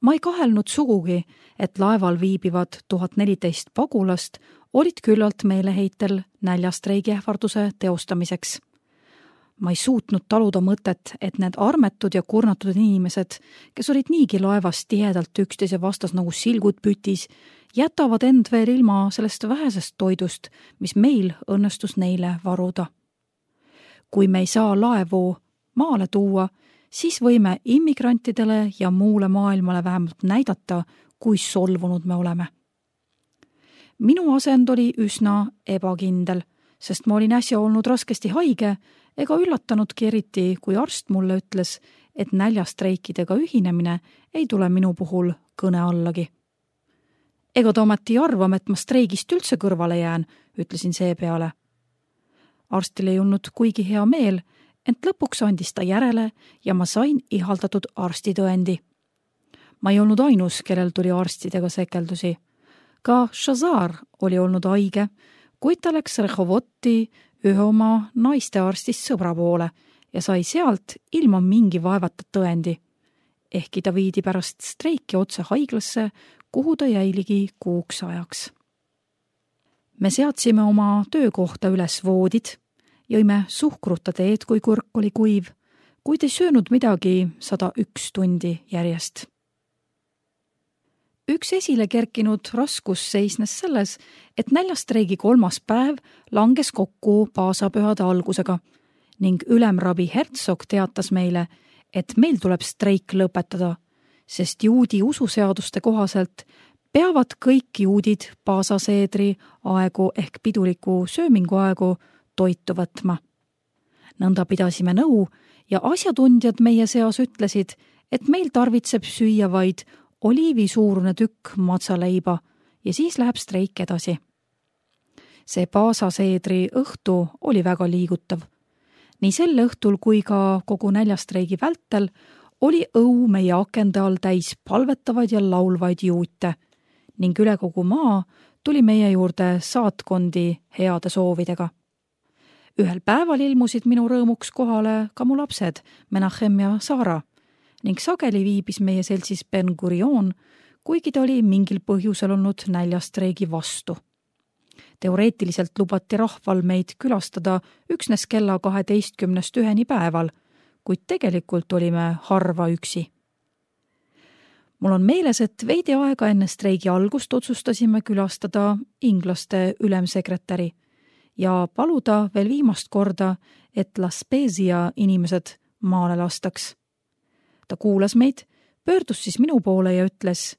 Ma ei kahelnud sugugi, et laeval viibivad 1014 pagulast olid küllalt meeleheitel näljastreigi ähvarduse teostamiseks. Ma ei suutnud taluda mõtet, et need armetud ja kurnatud inimesed, kes olid niigi laevas tihedalt üksteise vastas nagu silgud pütis, jätavad end veel ilma sellest vähesest toidust, mis meil õnnestus neile varuda. Kui me ei saa laevu maale tuua, siis võime immigrantidele ja muule maailmale vähemalt näidata, kui solvunud me oleme. Minu asend oli üsna ebakindel, sest ma olin äsja olnud raskesti haige ega üllatanudki eriti, kui arst mulle ütles, et näljastreikidega ühinemine ei tule minu puhul kõne allagi. Ega ta ometi arvama, et ma streigist üldse kõrvale jään, ütlesin seepeale. Arstil ei olnud kuigi hea meel, ent lõpuks andis ta järele ja ma sain ihaldatud arstitõendi. Ma ei olnud ainus, kellel tuli arstidega sekeldusi. Ka Shazar oli olnud haige, kuid ta läks Rehovoti ühe oma naistearstist sõbra poole ja sai sealt ilma mingi vaevata tõendi. Ehkki ta viidi pärast streiki otse haiglasse, kuhu ta jäiligi kuuks ajaks. Me seadsime oma töökohta üles voodid, jõime suhkruta teed, kui kõrk oli kuiv, kuid ei söönud midagi 101 tundi järjest. Üks esile kerkinud raskus seisnes selles, et näljastreigi 3. päev langes kokku paasapühade algusega ning ülemrabi Herzog teatas meile, et meil tuleb streik lõpetada, sest juudi ususeaduste kohaselt peavad kõik juudid paasaseedri aegu ehk piduliku söömingu aegu toitu võtma. Nõnda pidasime nõu ja asjatundjad meie seas ütlesid, et meil tarvitseb süüa vaid oliivisuurune tükk matsaleiba ja siis läheb streik edasi. See paasaseedri õhtu oli väga liigutav. Nii sel õhtul kui ka kogu näljastreigi vältel oli õu meie akende all täis palvetavaid ja laulvaid juute ning üle kogu maa tuli meie juurde saatkondi heade soovidega. Ühel päeval ilmusid minu rõõmuks kohale ka mu lapsed, Menachem ja Sara, ning sageli viibis meie seltsis Ben Gurion, kuigi ta oli mingil põhjusel olnud näljastreigi vastu. Teoreetiliselt lubati rahval meid külastada üksnes kella 12-1 päeval, kuid tegelikult olime harva üksi. Mul on meeles, et veidi aega enne streigi algust otsustasime külastada inglaste ülemsekretäri ja paluda veel viimast korda, et La Spezia inimesed maale lastaks. Ta kuulas meid, pöördus siis minu poole ja ütles: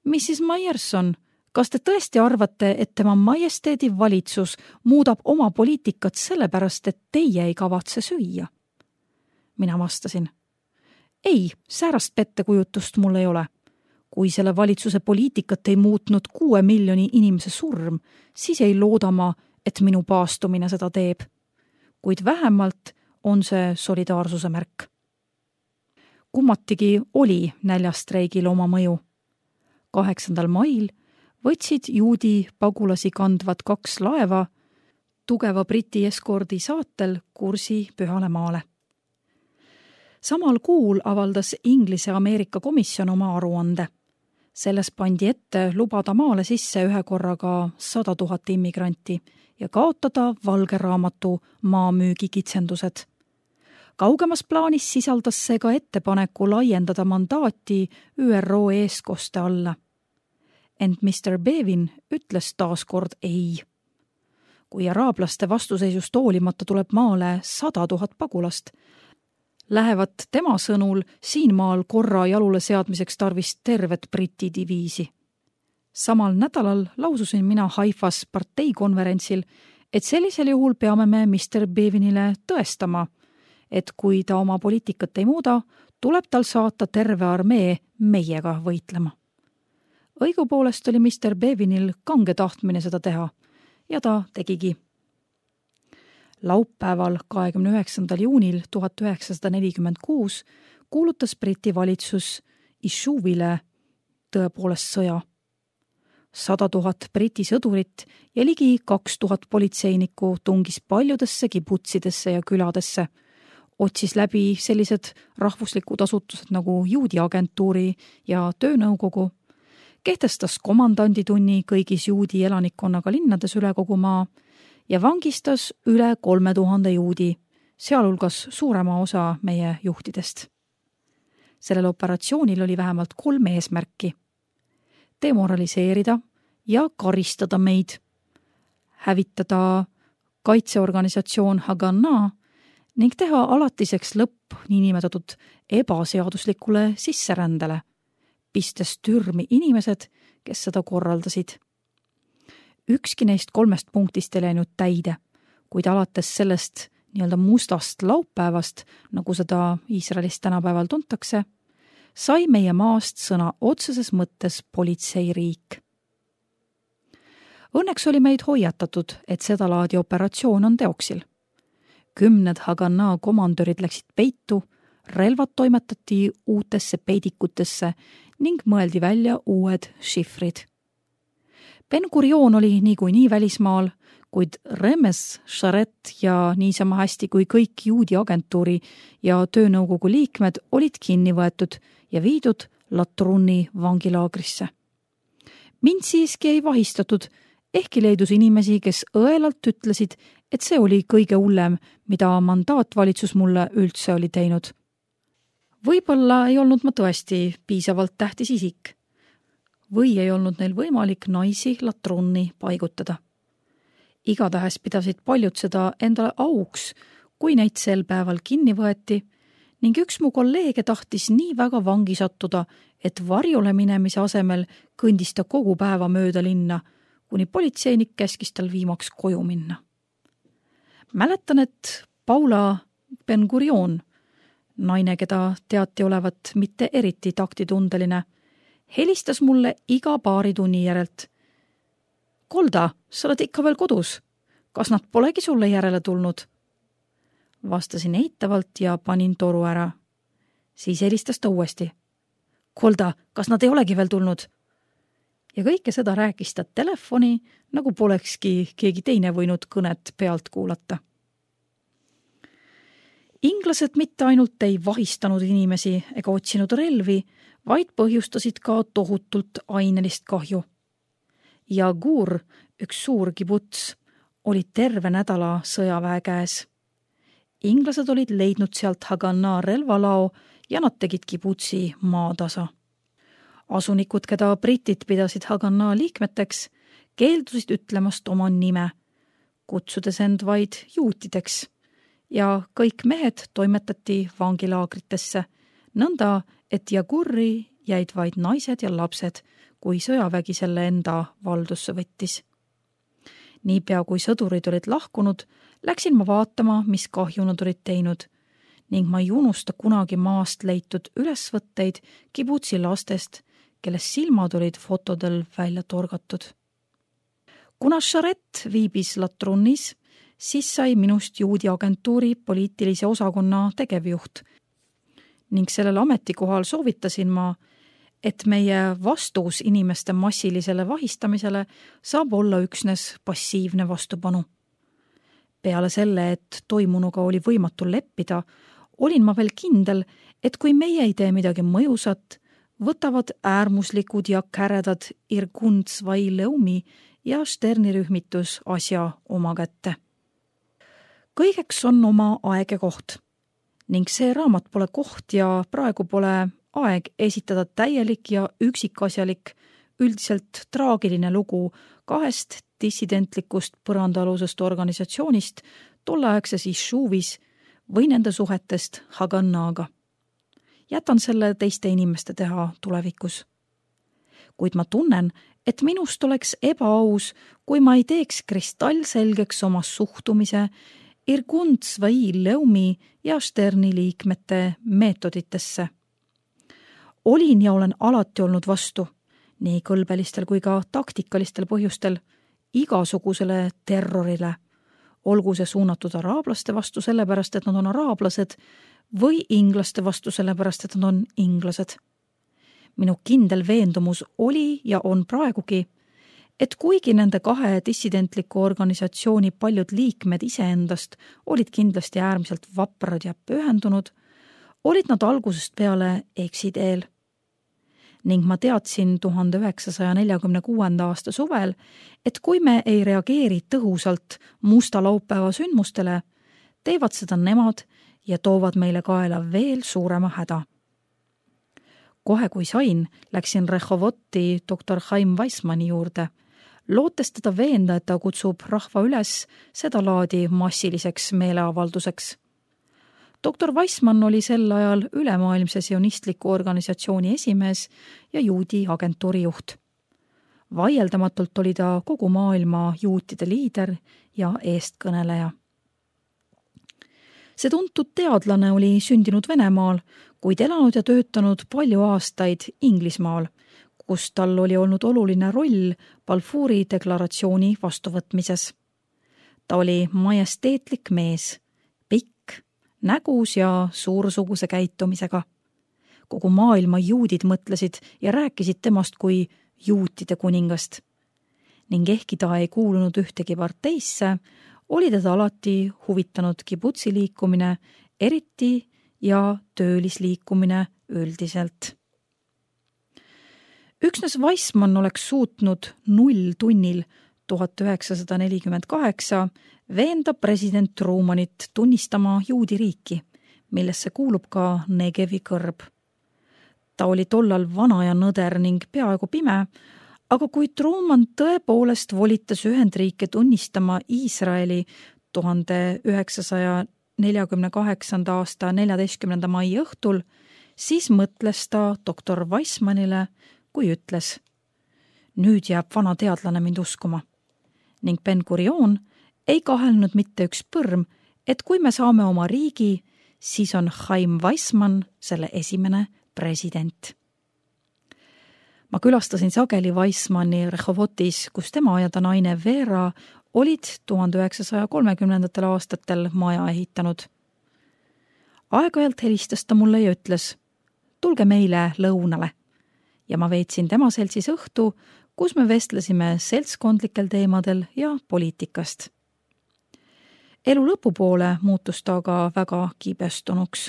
Mrs. Myerson, kas te tõesti arvate, et tema majesteedi valitsus muudab oma poliitikat sellepärast, et teie ei kavatse süüa? Mina vastasin: ei, säärast pettekujutust mul ei ole. Kui selle valitsuse poliitikat ei muutnud 6 miljoni inimese surm, siis ei looda ma, et minu paastumine seda teeb. Kuid vähemalt on see solidaarsuse märk. Kummatigi oli näljastreigil oma mõju. 8. mail võtsid juudi pagulasi kandvad 2 laeva tugeva Briti eskordi saatel kursi Pühale maale. Samal kuul avaldas Inglise-Ameerika komisjon oma aruande. Selles pandi ette lubada maale sisse ühe korraga 100 000 immigranti ja kaotada valge raamatu maamüügi kitsendused. Kaugemas plaanis sisaldas see ka ettepaneku laiendada mandaati ÜRO eeskoste alla. Ent Mr. Bevin ütles taaskord ei. Kui araablaste vastuseisust hoolimata tuleb maale 100 000 pagulast, lähevad tema sõnul siin maal korra jalule seadmiseks tarvis tervet Briti diviisi. Samal nädalal laususin mina Haifas parteikonverentsil, et sellisel juhul peame me Mr. Bevinile tõestama, et kui ta oma poliitikat ei muuda, tuleb tal saata terve armee meiega võitlema. Õigupoolest oli Mr. Bevinil kange tahtmine seda teha ja ta tegigi. Laupäeval 29. juunil 1946 kuulutas Briti valitsus Ishuvile tõepoolest sõja. 100 000 Briti sõdurit ja ligi 2000 politseinikku tungis paljudesse kibutsidesse ja küladesse, otsis läbi sellised rahvuslikud asutused nagu juudi agentuuri ja töönõukogu, kehtestas komandanditunni kõigis juudi elanikkonnaga linnades üle kogu maa ja vangistas üle 3000 juudi, sealhulgas suurema osa meie juhtidest. Sellel operatsioonil oli vähemalt 3 eesmärki: demoraliseerida ja karistada meid, hävitada kaitseorganisatsioon Haganah ning teha alatiseks lõpp niinimetatud ebaseaduslikule sisserändele, pistes türmi inimesed, kes seda korraldasid. Ükski neist 3 punktist ei läinud täide, kuid alates sellest nii-öelda mustast laupäevast, nagu seda Iisraelis tänapäeval tuntakse, sai meie maast sõna otseses mõttes politseiriik. Õnneks oli meid hoiatatud, et seda laadi operatsioon on teoksil. 10 Haganah komandörid läksid peitu, relvad toimetati uutesse peidikutesse ning mõeldi välja uued šifrid. Ben Gurion oli niikuinii välismaal, kuid Remes, Sharet ja niisama hästi kui kõik juudi agentuuri ja töönõukogu liikmed olid kinni võetud ja viidud Latruni vangilaagrisse. Mind siiski ei vahistatud, ehkki leidus inimesi, kes õelalt ütlesid, et see oli kõige hullem, mida mandaatvalitsus mulle üldse oli teinud. Võib-olla ei olnud ma tõesti piisavalt tähtis isik või ei olnud neil võimalik naisi Latruni paigutada. Igatahes pidasid paljud seda endale auks, kui neid sel päeval kinni võeti ning üks mu kolleege tahtis nii väga vangi sattuda, et varjule minemise asemel kõndis ta kogu päeva mööda linna, kuni politseinik käskis tal viimaks koju minna. Mäletan, et Paula Ben Gurion, naine, keda teati olevat mitte eriti taktitundeline, helistas mulle iga paari tunni järelt. Golda, sa oled ikka veel kodus. Kas nad polegi sulle järele tulnud? Vastasin eitavalt ja panin toru ära. Siis helistas ta uuesti. Golda, kas nad ei olegi veel tulnud? Ja kõike seda rääkis ta telefoni, nagu polekski keegi teine võinud kõnet pealt kuulata. Inglased mitte ainult ei vahistanud inimesi ega otsinud relvi, vaid põhjustasid ka tohutult ainelist kahju. Jagur, üks suur kibuts, oli terve nädala sõjaväe käes. Inglased olid leidnud sealt Haganah relvalao ja nad tegid kibutsi maatasa. Asunikud, keda britid pidasid Haganah liikmeteks, keeldusid ütlemast oma nime, kutsudes end vaid juutideks, ja kõik mehed toimetati vangilaagritesse, nõnda, et Jagurri jäid vaid naised ja lapsed, kui sõjavägi selle enda valdusse võttis. Niipea kui sõdurid olid lahkunud, läksin ma vaatama, mis kahju nad olid teinud ning ma ei unusta kunagi maast leitud ülesvõtteid kibutsi lastest, kelles silmad olid fotodel välja torgatud. Kuna Sharet viibis Latrunis, siis sai minust juudi agentuuri poliitilise osakonna tegevjuht ning sellel ametikohal soovitasin ma, et meie vastus inimeste massilisele vahistamisele saab olla üksnes passiivne vastupanu. Peale selle, et toimunuga oli võimatu leppida, olin ma veel kindel, et kui meie ei tee midagi mõjusat, võtavad äärmuslikud ja käredad Irgun Tzvai Leumi ja Sterni rühmitus asja oma kätte. Kõigeks on oma aeg ja koht ning see raamat pole koht ja praegu pole aeg esitada täielik ja üksikasjalik, üldiselt traagiline lugu 2 dissidentlikust põrandaalusest organisatsioonist tolleaegses Ishuvis või nende suhetest Haganah'ga. Jätan selle teiste inimeste teha tulevikus. Kuid ma tunnen, et minust oleks ebaaus, kui ma ei teeks kristallselgeks oma suhtumise Irgun Tzvai Leumi ja Sterni liikmete meetoditesse. Olin ja olen alati olnud vastu, nii kõlbelistel kui ka taktikalistel põhjustel, igasugusele terrorile, olgu see suunatud araablaste vastu sellepärast, et nad on araablased, või inglaste vastu sellepärast, et nad on inglased. Minu kindel veendumus oli ja on praegugi, et kuigi nende kahe dissidentliku organisatsiooni paljud liikmed iseendast olid kindlasti äärmiselt vaprad ja pühendunud, olid nad algusest peale eksiteel. Ning ma teadsin 1946. aasta suvel, et kui me ei reageeri tõhusalt musta laupäeva sündmustele, teevad seda nemad ja toovad meile kaela veel suurema häda. Kohe kui sain, läksin Rehovoti doktor Chaim Weissmanni juurde, lootes teda veenda, et ta kutsub rahva üles seda laadi massiliseks meeleavalduseks. Doktor Weissmann oli sel ajal ülemaailmse sionistliku organisatsiooni esimees ja juudi agentuuri juht. Vaieldamatult oli ta kogu maailma juutide liider ja eestkõneleja. See tuntud teadlane oli sündinud Venemaal, kuid elanud ja töötanud palju aastaid Inglismaal, kus tal oli olnud oluline roll Balfouri deklaratsiooni vastuvõtmises. Ta oli majesteetlik mees, nägus ja suursuguse käitumisega. Kogu maailma juudid mõtlesid ja rääkisid temast kui juutide kuningast. Ning ehkki ta ei kuulunud ühtegi parteisse, oli teda alati huvitanud kibutsi liikumine, eriti ja töölisliikumine üldiselt. Üksnes Weissmann oleks suutnud 0 tunnil 1948 veenda president Trumanit tunnistama juudi riiki, millesse kuulub ka Negevi kõrb. Ta oli tollal vana ja nõder ning peaaegu pime, aga kui Truman tõepoolest volitas Ühendriike tunnistama Iisraeli 1948. aasta 14. mai õhtul, siis mõtles ta doktor Weissmannile, kui ütles: nüüd jääb vana teadlane mind uskuma. Ning Ben-Gurion ei kahelnud mitte üks põrm, et kui me saame oma riigi, siis on Chaim Weissmann selle esimene president. Ma külastasin sageli Weissmanni Rehovotis, kus tema ja ta naine Vera olid 1930. aastatel maja ehitanud. Aeg-ajalt helistas ta mulle ja ütles: tulge meile lõunale. Ja ma veetsin tema seltsis õhtu, kus me vestlesime seltskondlikel teemadel ja poliitikast. Elu lõpupoole muutus ta aga väga kibestunuks.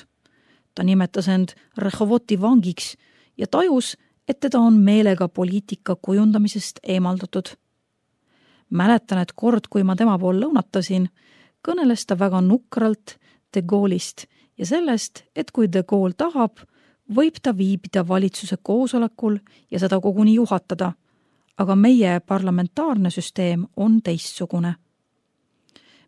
Ta nimetas end Rehovoti vangiks ja tajus, et teda on meelega poliitika kujundamisest eemaldatud. Mäletan, et kord, kui ma tema pool lõunatasin, kõneles ta väga nukralt De Gaulle'ist ja sellest, et kui De Gaulle tahab, võib ta viibida valitsuse koosolekul ja seda koguni juhatada, aga meie parlamentaarne süsteem on teistsugune.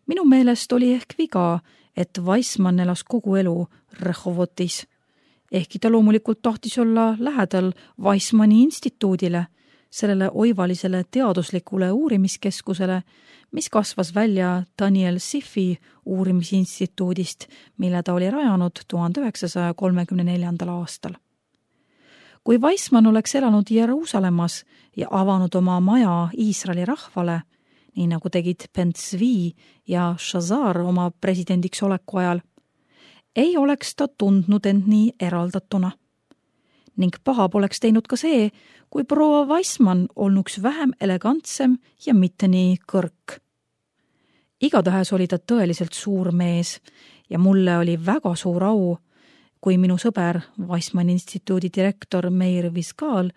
Minu meelest oli ehk viga, et Weissmann elas kogu elu Rehovotis. Ehkki ta loomulikult tahtis olla lähedal Weissmanni instituudile, sellele oivalisele teaduslikule uurimiskeskusele, mis kasvas välja Daniel Siffi uurimisinstituudist, mille ta oli rajanud 1934. aastal. Kui Weissmann oleks elanud Jeruusalemmas ja avanud oma maja Iisraeli rahvale, nii nagu tegid Ben-Zvi ja Shazar oma presidendiks oleku ajal, ei oleks ta tundnud end nii eraldatuna. Ning paha poleks teinud ka see, kui proua Weissmann olnuks vähem elegantsem ja mitte nii kõrk. Igatahes oli ta tõeliselt suur mees ja mulle oli väga suur au, kui minu sõber Weissmanni instituudi direktor Meir Viskaal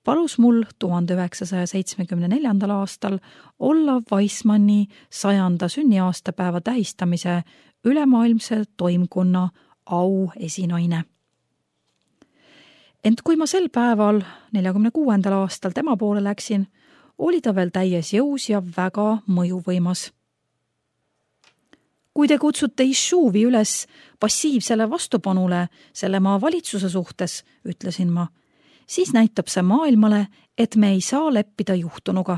palus mul 1974. aastal olla Weissmanni 100. sünniaastapäeva tähistamise ülemaailmse toimkonna auesinaine. Ent kui ma sel päeval 46. aastal tema poole läksin, oli ta veel täies jõus ja väga mõjuvõimas. Kui te kutsute Ishuvi üles passiivsele vastupanule selle maa valitsuse suhtes, ütlesin ma, siis näitab see maailmale, et me ei saa leppida juhtunuga.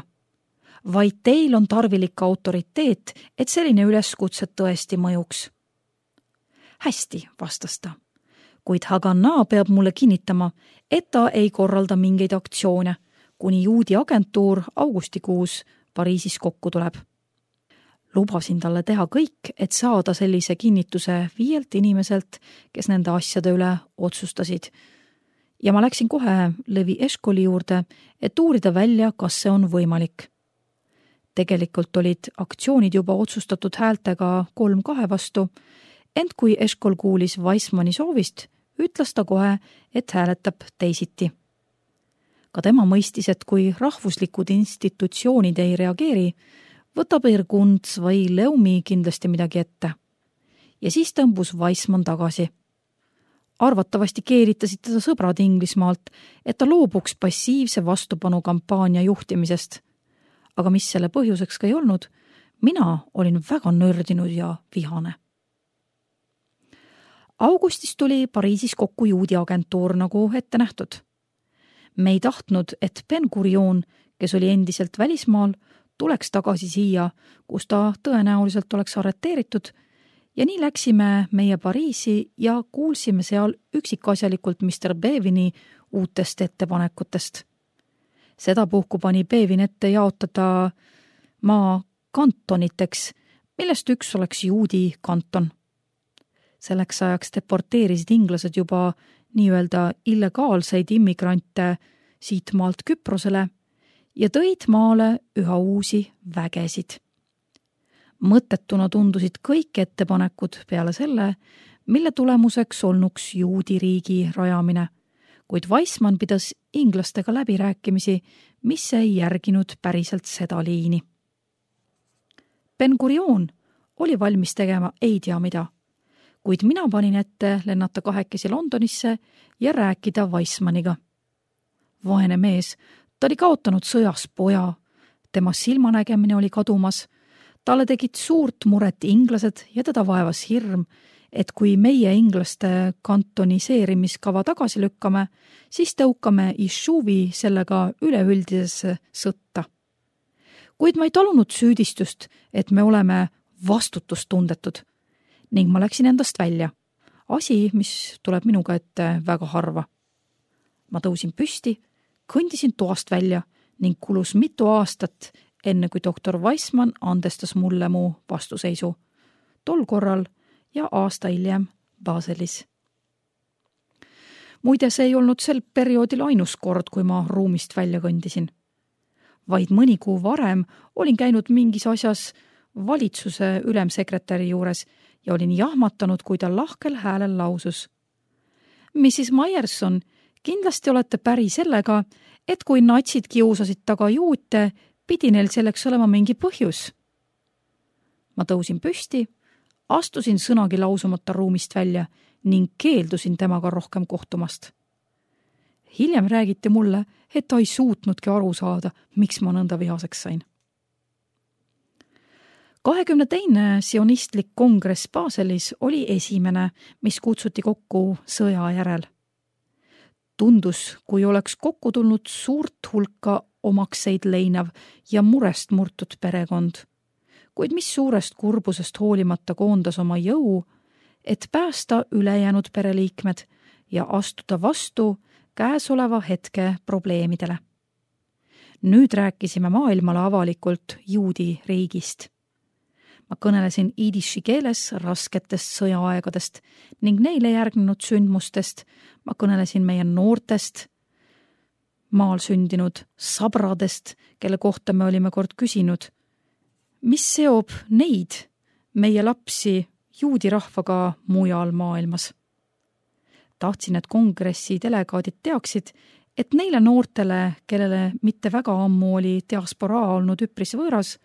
Vaid teil on tarvilik autoriteet, et selline üleskutse tõesti mõjuks. Hästi, vastas ta. Kuid Haganah peab mulle kinnitama, et ta ei korralda mingeid aktsioone, kuni juudi agentuur augustikuus Pariisis kokku tuleb. Lubasin talle teha kõik, et saada sellise kinnituse 5 inimeselt, kes nende asjade üle otsustasid. ja ma läksin kohe Levi Eshkoli juurde, et uurida välja, kas see on võimalik. Tegelikult olid aktsioonid juba otsustatud häältega 3-2 vastu, ent kui Eshkol kuulis Weissmanni soovist, ütles ta kohe, et hääletab teisiti. Ka tema mõistis, et kui rahvuslikud institutsioonid ei reageeri, võtab Irgun või Leumi kindlasti midagi ette. Ja siis tõmbus Weissmann tagasi. Arvatavasti keeritasid teda sõbrad Inglismaalt, et ta loobuks passiivse vastupanu kampaania juhtimisest. Aga mis selle põhjuseks ka ei olnud, mina olin väga nördinud ja vihane. Augustis tuli Pariisis kokku juudi agentuur nagu ette nähtud. Me ei tahtnud, et Ben Gurion, kes oli endiselt välismaal, tuleks tagasi siia, kus ta tõenäoliselt oleks arreteeritud, ja nii läksime meie Pariisi ja kuulsime seal üksikasjalikult Mr. Bevini uutest ettepanekutest. Sedapuhku pani Bevin ette jaotada maa kantoniteks, millest üks oleks juudi kanton. Selleks ajaks deporteerisid inglased juba nii-öelda illegaalseid immigrante siit maalt Küprosele ja tõid maale üha uusi vägesid. Mõttetuna tundusid kõik ettepanekud peale selle, mille tulemuseks olnuks juudi riigi rajamine, kuid Weissmann pidas inglastega läbirääkimisi, mis ei järginud päriselt seda liini. Ben Gurion oli valmis tegema ei tea mida, kuid mina panin ette lennata 2 Londonisse ja rääkida Weissmanniga. Vaene mees, ta oli kaotanud sõjas poja, tema silmanägemine oli kadumas, talle tegid suurt muret inglased ja teda vaevas hirm, et kui meie inglaste kantoniseerimiskava tagasi lükkame, siis tõukame Ishuvi sellega üleüldisesse sõtta. Kuid ma ei talunud süüdistust, et me oleme vastutustundetud ning ma läksin endast välja. Asi, mis tuleb minuga ette väga harva. Ma tõusin püsti, kõndisin toast välja ning kulus mitu aastat, enne kui doktor Weissmann andestas mulle mu vastuseisu. Tol korral ja aasta hiljem Baselis. Muide, see ei olnud sel perioodil ainus kord, kui ma ruumist välja kõndisin. Vaid mõni kuu varem olin käinud mingis asjas valitsuse ülemsekretäri juures ja olin jahmatanud, kui ta lahkel häälel lausus. Mrs. Myerson, kindlasti olete päri sellega, et kui natsid kiusasid taga juute, pidi neil selleks olema mingi põhjus. Ma tõusin püsti, astusin sõnagi lausumata ruumist välja ning keeldusin temaga rohkem kohtumast. Hiljem räägiti mulle, et ta ei suutnudki aru saada, miks ma nõnda vihaseks sain. 22. sionistlik kongress Baselis oli esimene, mis kutsuti kokku sõja järel. Tundus, kui oleks kokku tulnud suurt hulka omakseid leinav ja murest murtud perekond, kuid mis suurest kurbusest hoolimata koondas oma jõu, et päästa ülejäänud pereliikmed ja astuda vastu käesoleva hetke probleemidele. Nüüd rääkisime maailmale avalikult juudi riigist. Ma kõnelesin idiši keeles rasketest sõjaaegadest ning neile järgnenud sündmustest. Ma kõnelesin meie noortest, maal sündinud sabradest, kelle kohta me olime kord küsinud, mis seob neid, meie lapsi, juudi rahvaga mujal maailmas. Tahtsin, et kongressi delegaadid teaksid, et neile noortele, kellele mitte väga ammu oli diasporaa olnud üpris võõras,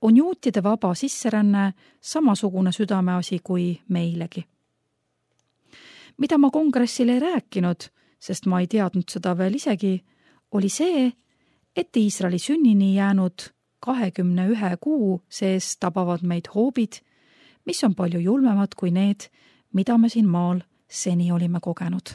on juutide vaba sisseränne samasugune südameasi kui meilegi. Mida ma kongressil ei rääkinud, sest ma ei teadnud seda veel isegi, oli see, et Iisraeli sünnini jäänud 21 kuu sees tabavad meid hoobid, mis on palju julmemad kui need, mida me siin maal seni olime kogenud.